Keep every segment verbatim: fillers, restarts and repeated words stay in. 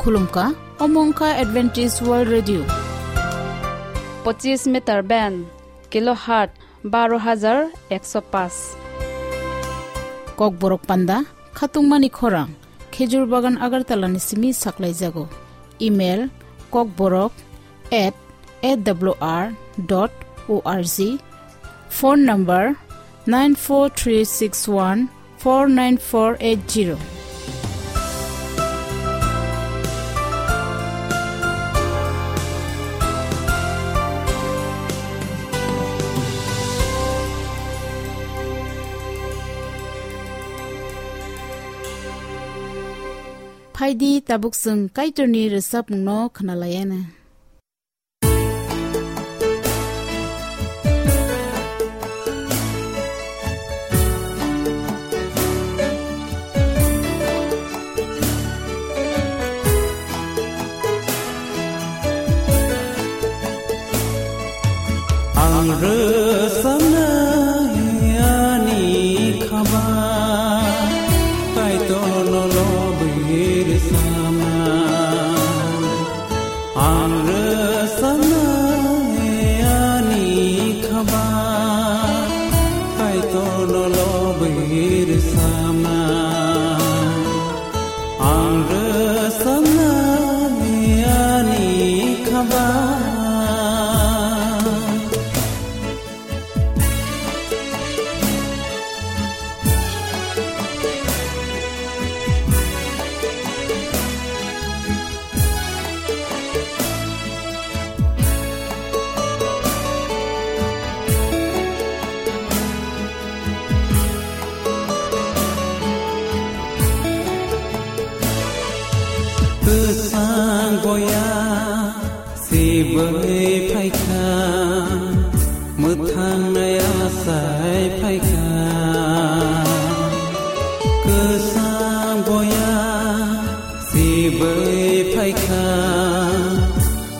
Khulumkha, omo wngkha Adventist World Radio. Pochis meter band, kilohertz baro hajar ekso paanch. Kokborok panda, khatungmani khorang, Khejur Bagan Agartala ni simi saklaijago. Email, kokborok at A W R dot O R G. Phone number, nine four three six one four nine four eight zero. Phaidi, tabuk chwng Kaitorni rwchapmungno khwnalaiana. Ang rwchapnai ani khaba, Kaitorno lobwi rwchapnai. Ang rwchapnai ani khaba, Kaitorno lobwi rwchapnai. Ang rwchapnai ani khaba. Kwchang boya sibwi phaikha, mwthang nai asai phaikha. Kwchang boya sibwi phaikha,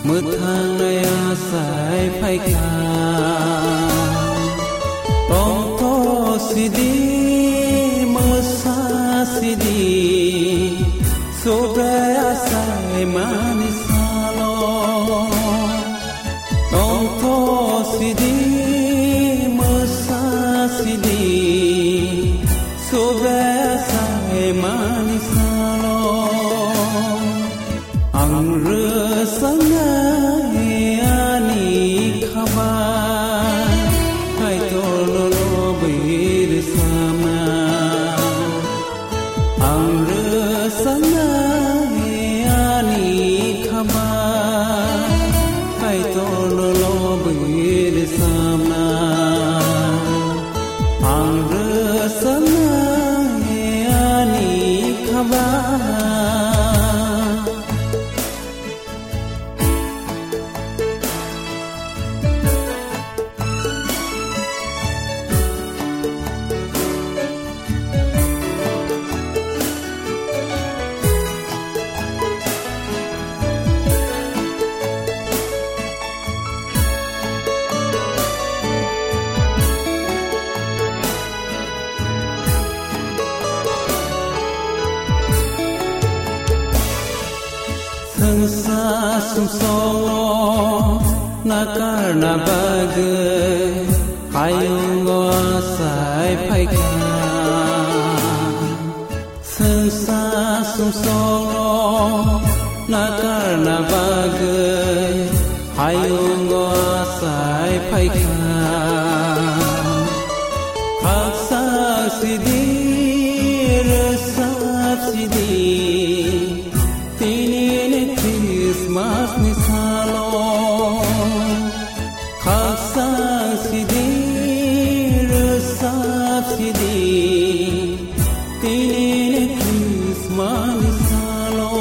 mwthang nai asai phaikha. Tongtho sidi, mwsa sidi, Subrai asai mani salo. Tongtho sidi, mwsa sidi, Subrai asai mani salo. Ang rwchapnai ani khaba, Kaitorno lobwi rwchapnai. Ang rwchapnai ani khaba, Kaitorno lobwi rwchapnai. Ang rwchapnai ani khaba. Swngsa sumsongo nakarna bagwi hayungo asai phaikha. Swngsa sumsongo nakarna bagwi hayungo asai phaikha. Khaksa sidi, rwchap sidi, tini ni Christmas ni salo. Khaksa sidi, rwchap sidi, tini ni Christmas ni salo.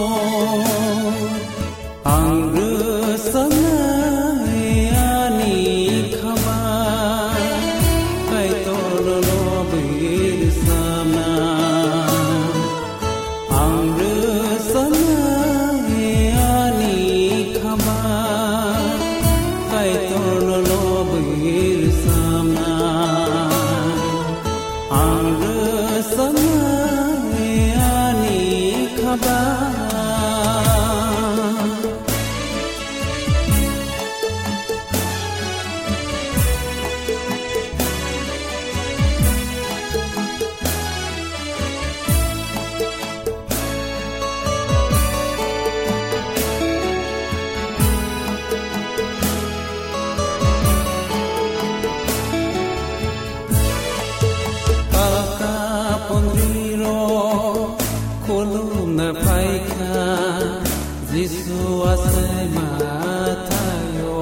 Ang rwchapnai ani khaba, Kaitorno lobwi rwchapnai. Ang rwchapnai ani khaba, Jisu asai mathayo,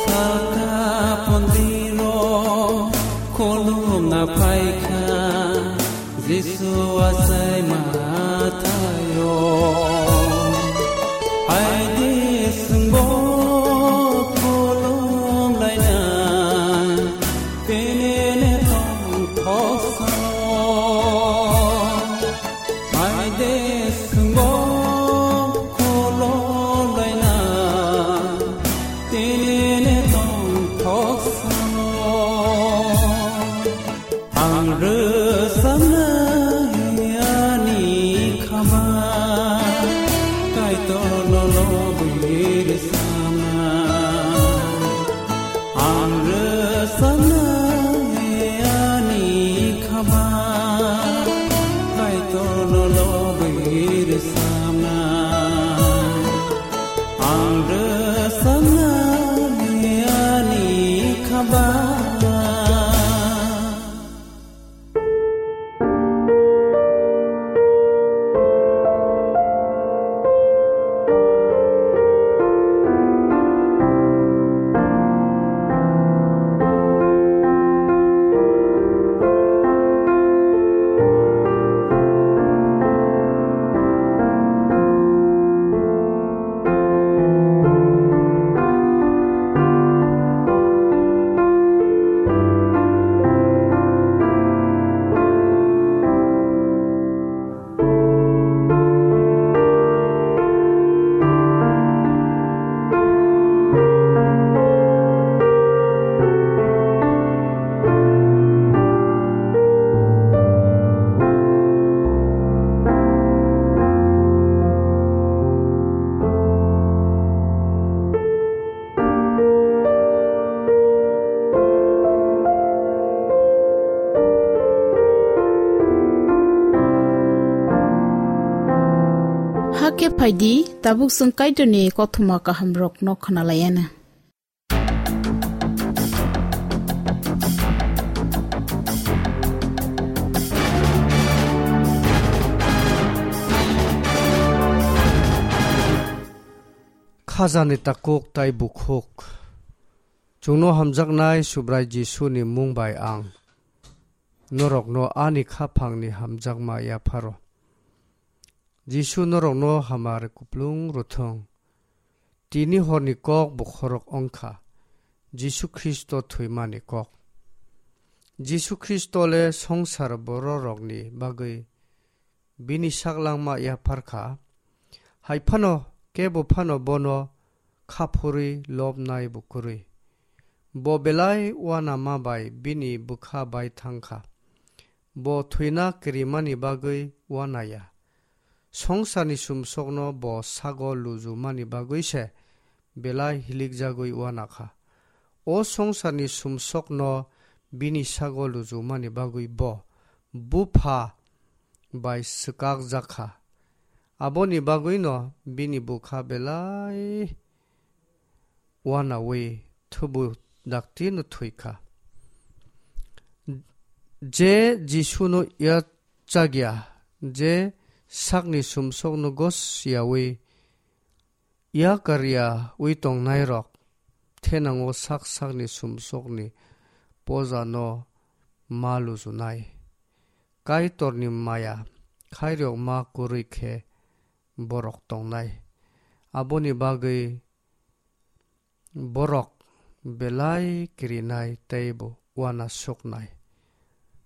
saka pondiro, khulumna phaikha. Jisu asai mathayo, aidi sungbo khulum laina, tenene tong thoksa. Aide sungbo khulum laina, tenene tong thoksa. Ang rwchapnai ani khama, Kaitorno lobwi rwchapnai. Ang rwchapnai ani khama, Kaitorno lobwi rwchapnai. Ang rwchapnai ani khama. Hakhe phaidi, tabuk chwng Kaitorni kothoma kahamrokno khwnalaiana. Khajani takhuk tai bukhuk. Chwngno hamjaknai Subrai Jisuni mung bai ang norokno ani khaphangni hamjakma yapharo. Jisu norokno hamari kuplung rwthwng. Tini horni kok bokhorok wngkha Jisu Khristo thwimani kok. Jisu Khristo le songsar bororokni bagwi bini saklangma yaphar kha. Hai phano kebo phano bono kha phurwi lobnai bo kwrwi. Bo belai uanama bai bini bwkha bai thang kha. Bo thwina kirimani bagwi uanaya. Songsarni sumsokno bo sago lujumani bagwi se belai hilikjagwi uana kha. O songsarni sumsokno bini sago lujumani bagwi bo Bupha bai swkakjak kha. Aboni bagwino bini bwkha belai uanaui thubu daktino thwi kha. Je Jisuno yachakya, je sakni sumsokno gosiyaui yakaryaui tongnairok thenango sak sakni sumsokni pojano ma lujunai. Kaitorni maya khairokma kwrwi khe borok tongnai. Aboni bagwi borok belai kirinai tei bo uanasuknai.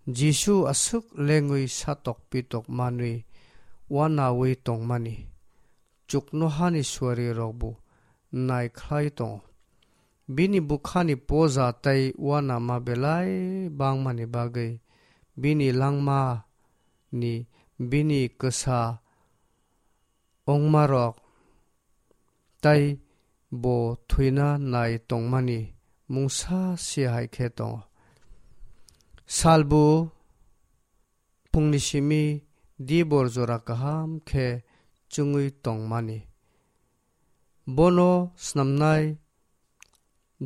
Jisu aswk lengwi satok pitok manwi uanaui tongmani chuknohani suarirokbo naikhlai tongo. Bini bwkhani poja tei uanama belai bangmani bagwi bini langmani bini kwsa ongmarok tei bo thwina nai tongmani mungsa se hai khe tongo. Salbo phungni simi dibor jora kaham khe chwngwi tongmani. Bono snamnai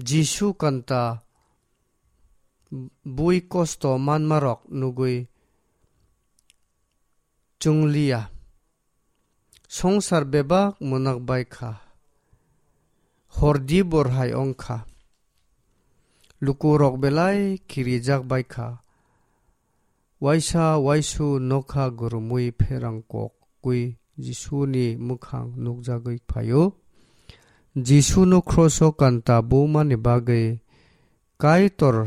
Jisu kanta bui kosto manmarok nugwi chwngliya. Songsar bebak munak bai kha. Hor di bor hai wng kha. Lukurok belai kirijak bai kha. Waisa waisu nokha gurumwi pherang kok gwi Jisuni mwkhang nukjagwi phaio. Jisuno kroso kanta bumani bagwi Kaitor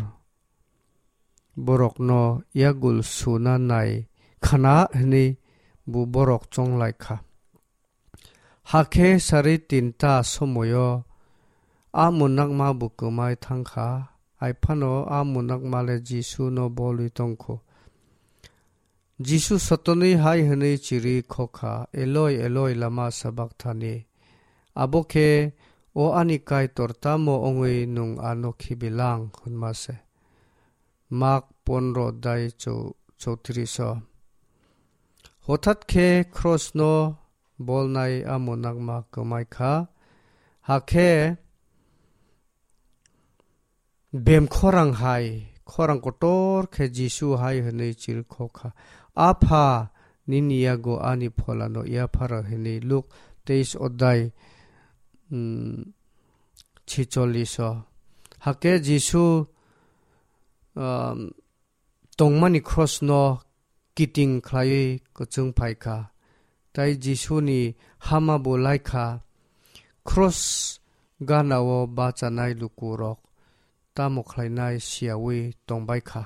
borokno yagul suna nai khna hwnwi bo borok chonglai kha. Hakhe sari tinta somoio a munakma bo kwmai thang kha, hai phano a munakma le Jisuno bolwi tong kho. Jisu sotonwi hai hwnwi chirwi kho kha, "Eloi, Eloi, lama sabakthani?" Abo khe, "O ani Kaitor, tamo wngwi nwng ano khibilang?" hwnma se. Mak pondro dai chou-, choutrish o. Hothat khe krosno bolnai a munakma kwmai kha. Hakhe bem khorang hai, khorang kotor khe Jisu hai hwnwi chirwi kho kha, "Apha, nini yago ani pholano yapharo," hwnwi Luk teis odai, mm, chicholish o. Hakhe Jisu, um, tongmani krosno kiting khlaiwi kwchwng phai kha. Tai Jisuni hama bo lai kha. Kros ganao bachanai lukurok tamo khlainai siyaui tongbai kha.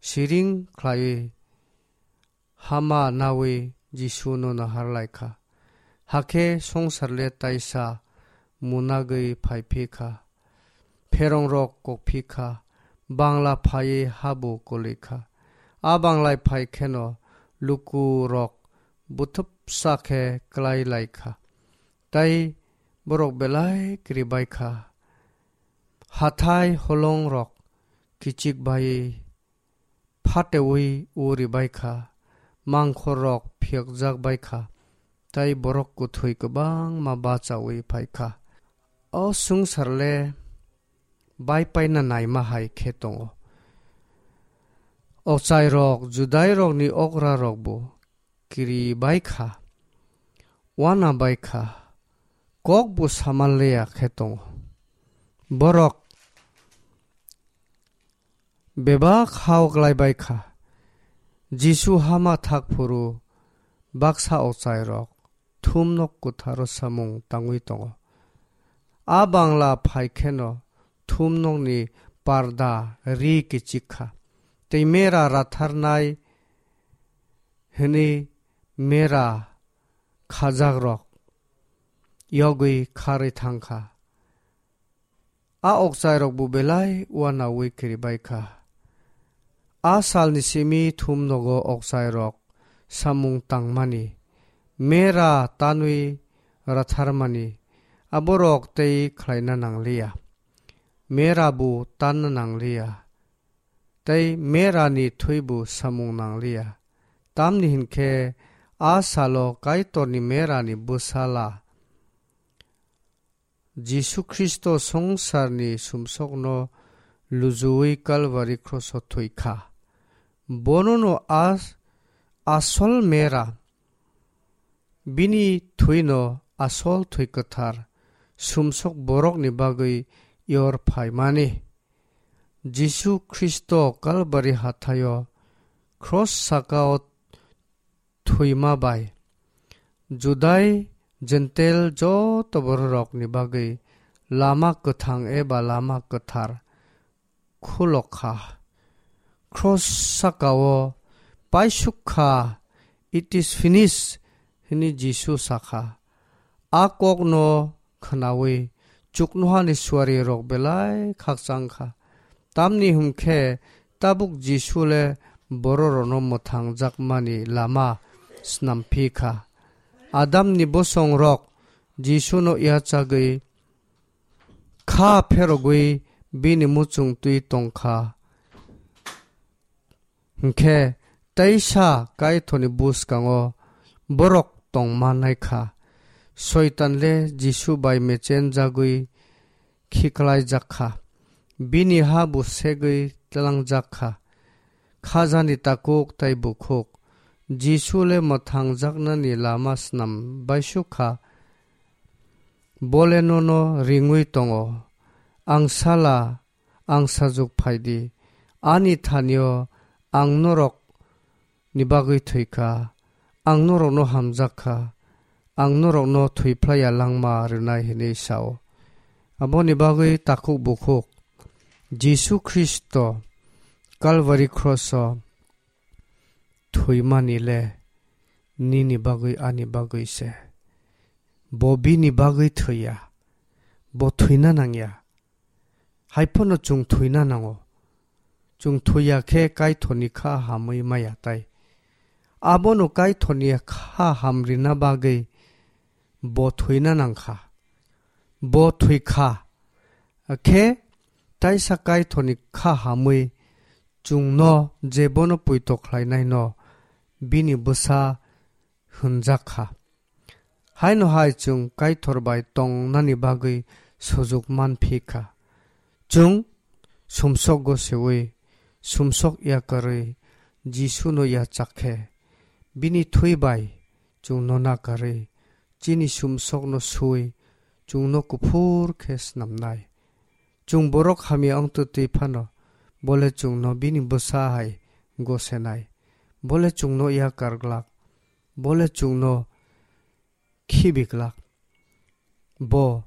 Siring khlaiwi hama naui Jisuno nahar lai kha. Hakhe songsar le taisa munagwi phai phi kha. Pherongrok kok phi kha. Bangla phaiwi habu kwlwi kha. A banglai phai kheno lukurok buthupsa khe klai lai kha. Tai borok belai kiribai kha. Hathai holongrok kichik bai phateui uri bai kha, mangkhorrok phiyokjak bai kha, tai borok kwthwi kwbangma bachaui phai kha. O swngchar le bai paina naima hai khe tongo. Ochairok, Judairokni okrarokbo kiri bai kha, uana bai kha, kokbo saman leya khe tongo. Borok bebak hao klai bai kha. Jisu hama thak phuru baksa ochairok thumnok kwtharo samung tangwi tongo. A bangla phai kheno thumnokni parda ri kichik kha, tei mera ratharnai hwnwi mera khajakrok yogwi kharwi thang kha. A okchairokbo belai uanaui kiribai kha. A salni simi thumnogo okchairok samung tangmani, mera tanwi ratharmani, aborok tei khlaina nangliya. Mera bo tanna nangliya, tei merani thwibo samung nangliya. Tamni hinkhe a salo Kaitorni merani bwsala Jisu Khristo swngcharni sumsokno lujuwi Kalvari kroso thwi kha. Bonono a asol mera, bini thwino asol thwi kwthar sumsok borokni bagwi yor phaimani. Jisu Khristo Kalvari hathaio kros sakao thwima bai Judai Jentel joto bororokni bagwi lama kwthang eba lama kwthar khulok kha. Kros sakao paisuk kha, "It is finished," hwnwi Jisu sa kha. A kokno khnaui chuknohani suarirok belai khakchang kha. Tamni hwn khe tabuk Jisu le bororokno mwthangjakmani lama snam phi kha. Adamni bosongrok Jisuno yachagwi kha pherogwi bini muchung twi tong kha. Hinkhe teisa Kaitorni bwskango borok tong mannai kha. Soitan le Jisu bai mechen jagwi khiklaijak kha. Bini ha bo segwi tlangjak kha. Khajani takhuk tei bukhuk, Jisu le mwthangjaknani lama snam baisuk kha. Bo le nono ringwi tongo. Ang sala, ang sajuk phai di. Ani thanio ang norok ni bagwi thwi kha. Ang norokno hamjak kha. Ang norokno thwi phlaiya langma rwnai, hwnwi sao. Aboni bagwi takhuk bukhuk Jisu Khristo Kalvari kroso thwimani le nini bagwi, ani bagwi se. Bo bini bagwi thwiya. Bo thwina nangya. Hai phano chwng thwina nango. Chwng thwiya khe Kaitorni kha hamwi maya tai. Abono Kaitorni kha hamrina bagwi bo thwina nang kha. Bo thwi kha. Khe taisa Kaitorni kha hamwi chwngno je bono poito khlainaino bini bwsa hwnjak kha. Haino hai chwng Kaitor bai tongnani bagwi sujuk man phi kha. Chwng sumsok goseui, sumsok yakarwi Jisuno yachak khe, bini thwi bai chwngno nakarwi, chini sumsokno sui, chwngno kuphur khe snamnai. Chwng borok hamya wng twtwi phano, bo le chwngno bini bwsa hai gosenai. Bo le chwngno yakar glak. Bo le chwngno khibi glak. Bo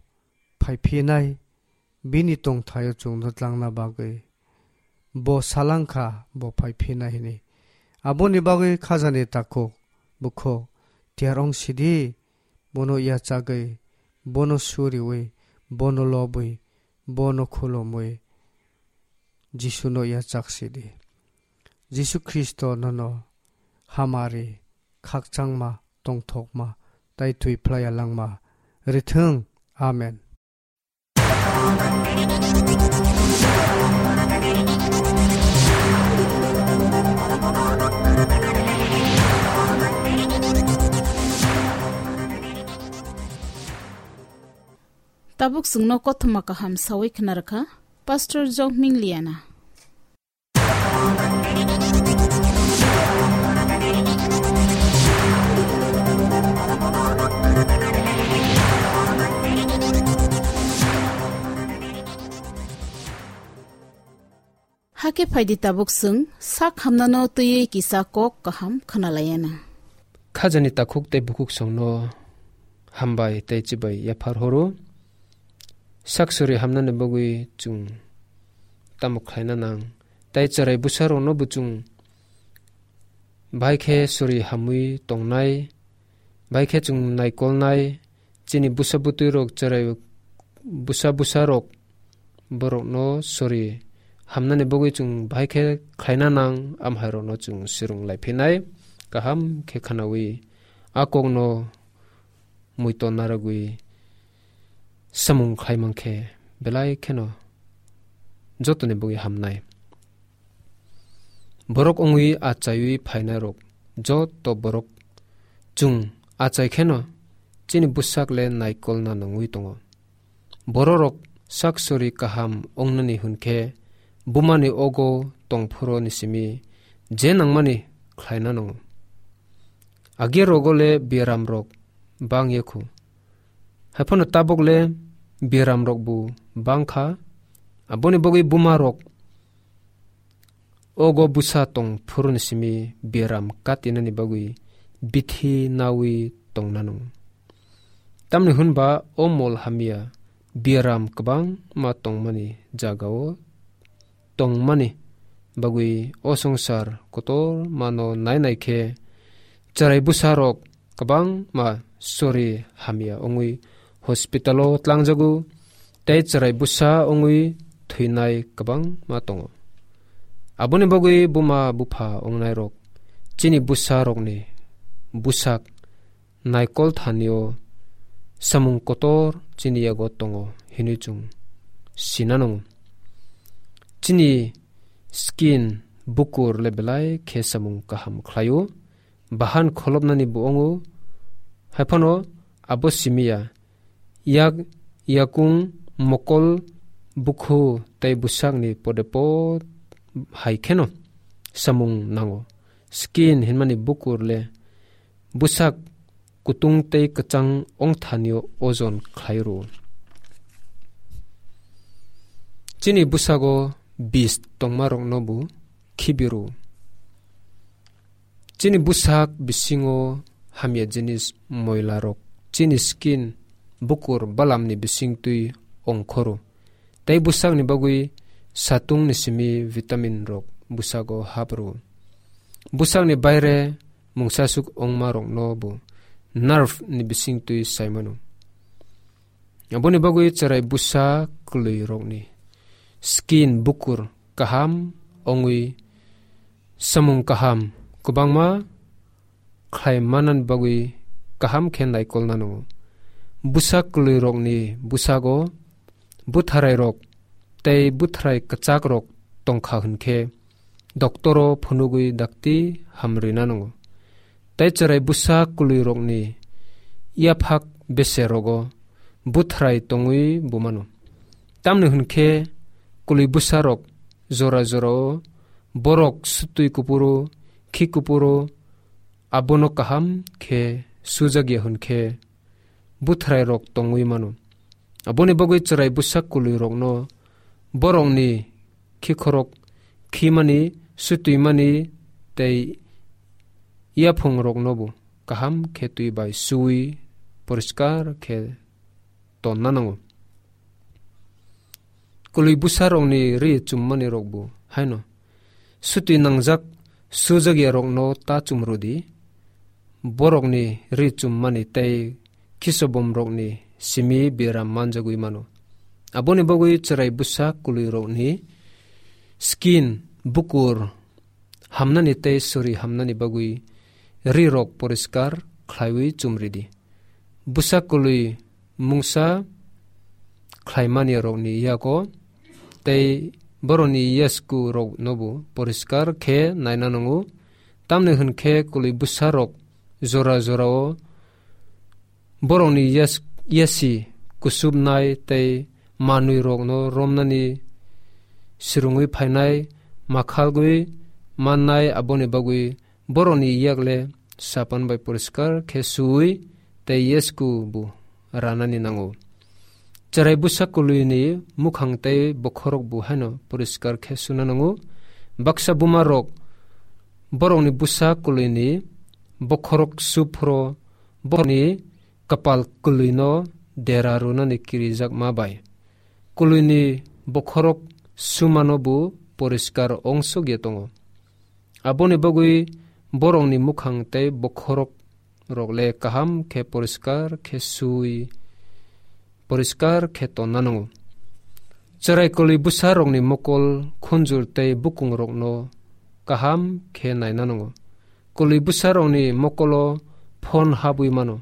phai phinai, bini tongthaio chwngno tlangna bagwi. Bo salang kha, bo phai phinai hwnwi. Aboni bagwi khajani takhuk, bukhuk, tiyar wng sidi, bono yachagwi, bono suriui, bono lobwi, bono khulumwi, Jisuno yachak sidi. Jisu Khristo nono hamari, khakchangma, tongthokma, tai thwi phlaiya langma rithwng. Amen. Tabuk chwngno kothoma kaham sawi khna rwkha Pastor Jokming Liana. Hakhe phaidi tabuk chwng sak hamnano twiwi kisa kok kaham khwnalaiyana. Khajani takhuk tei bukhuk songno hambai tei chibai yaphar horo. Sak suri hamnani bagwi chwng tamo khlaina nang? Tei chwrai bwsarokno bo chwng bahai khe suri hamwi tongnai, bahai khe chwng naikolnai, chini bwsa bwtwirok chwrai bwsa bwsarok borokno sori hamnani bagwi chwng bahai khe khlaina nang, amhairokno chwng swrwng lai phinai, kaham khe khwnaui a kokno muiton narwgwi samung khlai mankhe belai kheno jotoni bagwi hamnai. Borok wngwi achaiwi phainairok joto borok chwng achai kheno chini bwsak le naikolna nangwi tongo. Bororok sak sori kaham wngnani hwn khe bumani ogo tongphuru ni simi je nangmani khlaina nango. Age rogo le biaramrok bang ya khu. Haiphano tabuk le biaramrok bo bang kha. Aboni bagwi bumarok ogo bwsa tong phuru ni simi biaram katinani bagwi bithi nawi tong nano. Tamni hwn ba o mol hamya biaram kwbangma tongmani jagao tongmani bagwi o swngchar kotormano nainai khe chwrai bwsarok kwbangma sori hamya wngwi hospital-o tlangjago tei chwrai bwsa wngwi thwinai kwbangma tongo. Aboni bagwi buma bupha wngnairok chini bwsarokni bwsak naikol thanio samung kotor chini yago tongo hinwi chwng sina nango. Chini skin bukur le belai khe samung kaham khlaio. Bahan kholopnani bo wngo. Haiphano abo simiya yak yakung mokol bukhu tei bwsakni pode pod hai kheno samung nango. skin hinmani bukur le bwsak kutung tei kwchang ongthanio ojon khlai rw. Chini bwsago bis tongmarokno bo khibi rw. Chini bwsak bisingo hamya jinis moilarok chini skin bukur balamni bisingtwi ongkhoro. Tei bwsakni bagwi satungni simi vitamin rok bwsago hap rw. Bwsakni baire mungsasuk ongmarokno bo nerve ni bisingtwi saimano. Aboni bagwi chwrai bwsa kwlwirokni skin bukur kaham ongwi samung kaham kwbangma khlai manani bagwi kaham khe naikolna nango. Bwsa kwlwirokni bwsago bwtharairok tei bwtharai kwchakrok tongkha hwnkhe, doktoro phunugwi dakti hamrwina nango. Tei chwrai bwsa kwlwirokni yaphak beserogo bwthrai tongwi bo mano. Tamni hwnkhe kwlwi bwsarok jora jorao borok sutwi kupuro, khi kupuro, abono kaham khe sujak ya hwnkhe bwthrairok tongwi mano. Aboni bagwi chwrai bwsa kwlwirokno borokni khikhorok khimani, sutwimani tei yaphungroknobo kaham khe twi bai suwi poriskar khe tonna nango. Kwlwi bwsarokni ri chummani rokbo haino sutwi nangjak sujak ya rokno ta chumrwdi, borokni ri chummani tei khisobomrokni simi biram manjagwi mano. Aboni bagwi chwrai bwsa kwlwirokni skin bukur hamnani tei sori hamnani bagwi ri rok poriskar khlaiwi chumridi. Bwsa kwlwi mungsa khlaimani rokni yago tei borokni yasku roknobo poriskar khe naina nango. Tamni hwnkhe kwlwi bwsa rok jora jorao borokni yas-, yasi kusubnai tei manwi rokno romnani sirungwi phainai, makhalgwi mannai, aboni bagwi borokni yakle sapan bai poriskar khe suwi tei yasku bo ranani nango. Chwrai bwsa kwlwini mukhang tei bokhorok bo haino poriskar khe suna nango. Baksa buma rok borokni bwsa kwlwini bokhorok su phro borokni kwpal kwlwino dera rwnani kirijakma bai kwlwini bokhorok sumano bo poriskar ongsogya tongo. Aboni bagwi borokni mukhang tei bokhorok rok le kaham khe poriskar khe sui, poriskar khe tonna nango. Chwrai kwlwi bwsa rokni mokol, khunjur tei bukung rokno kaham khe naina nango. Kwlwi bwsa rokni mokolo phon habwi mano.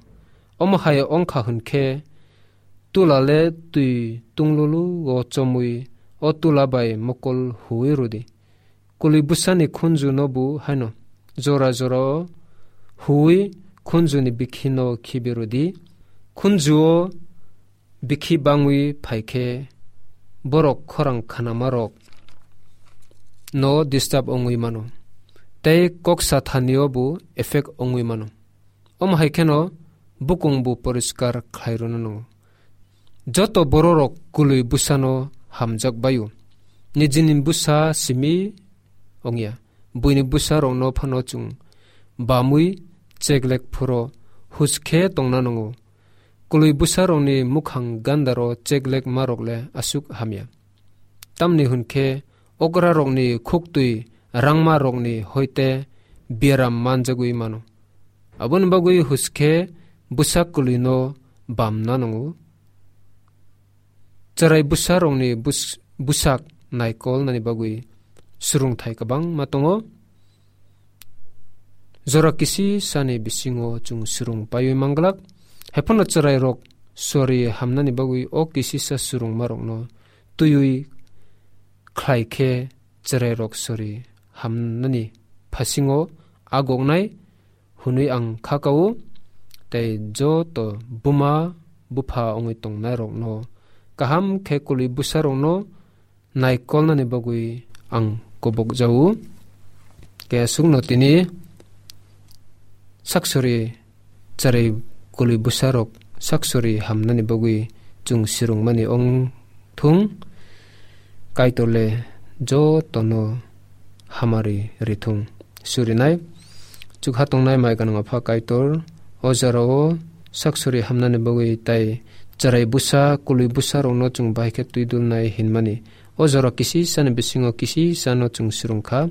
Omo hai ongkha hwnkhe tula le twi tunglulu o chomwi o tula bai mokol huwi rwdi. Kwlwi bwsani khunju no bo haino jora jora o huwi khunju ni bikhi no khibi rwdi. Khunju o bikhi bangwi phai khe borok khorang khanama rok no disturb ongwi mano. Tei kok sa thani o bo effect ongwi mano. Omo hai kheno bukung bo poriskar khlai rwna nango. Joto bororok kwlwi bwsano hamjak baio. Nijini bwsa simi ongya. Buini bwsarokno phano chwng bamwi cheklek phuro huskhe tongna nango. Kwlwi bwsarokni mukhang gandaro cheklek marok le aswk hamya. Tamni hwnkhe okrarokni khuktwi rangmarokni hoite biaram manjagwi mano. Aboni bagwi huskhe bwsa kwlwino bamna nango. Chwrai bwsarokni bus-, bwsak naikolnani bagwi swrwngthai kwbangma tongo. Jora kisi sani bisingo chwng swrwng paiwi manglak. Haiphano chwrairok sori hamnani bagwi o kisisa swrwngmarokno twiwi khlai khe chwrairok sori hamnani phasingo agoknai hwnwi ang kha kao. Tei joto buma bupha wngwi tongnairokno kaham khe kwlwi bwsarokno naikolnani bagwi ang kubuk jao. Khe aswkno tini Saksuri charai kwlwi bwsarok saksuri hamnani bagwi chwng sirwngmani wng thung, Kaitor le jotono hamari rithung. Surinai chukha tongnai mai gwnang Apha Kaitor, o jorao saksuri hamnani bagwi tai charai bwsa kwlwi bwsarokno chwng bahai khe twi dulnai hinmani. O jora kisi sani bisingo kisi sano chwng sirwng kha.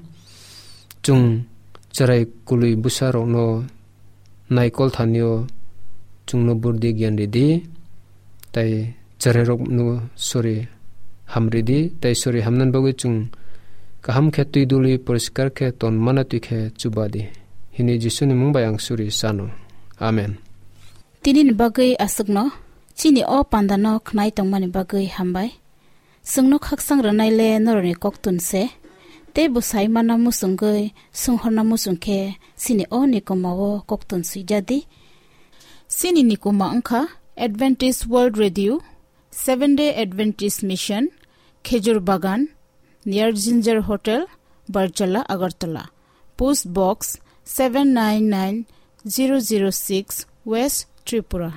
Chwng cherai kwlwi bwsarokno naikol thanio chwngno burdi giyan ridi, tai cherairokno sori hamridi, tai sori hamnani bagwi chwng kaham khe twi duli poriskar khe ton mana twi khe chubadi. Hini Jisuni mung bai ang suri sano. Amen. Tinini bagwi aswkno, chini o pandano khnai tongmani bagwi hambai. Chwngno khaksang rwnai le norokni koktun se, tei bwsai mana muchungwi swnghorna muchung khe chini o nikoma o koktun swijadi. Chini nikoma wngkha Adventist World Radio, Seventh Day Adventist Mission, Khejur Bagan, near Ginger Hotel, Barjala, Agartala. Post Box seven nine nine zero zero six, West Tripura.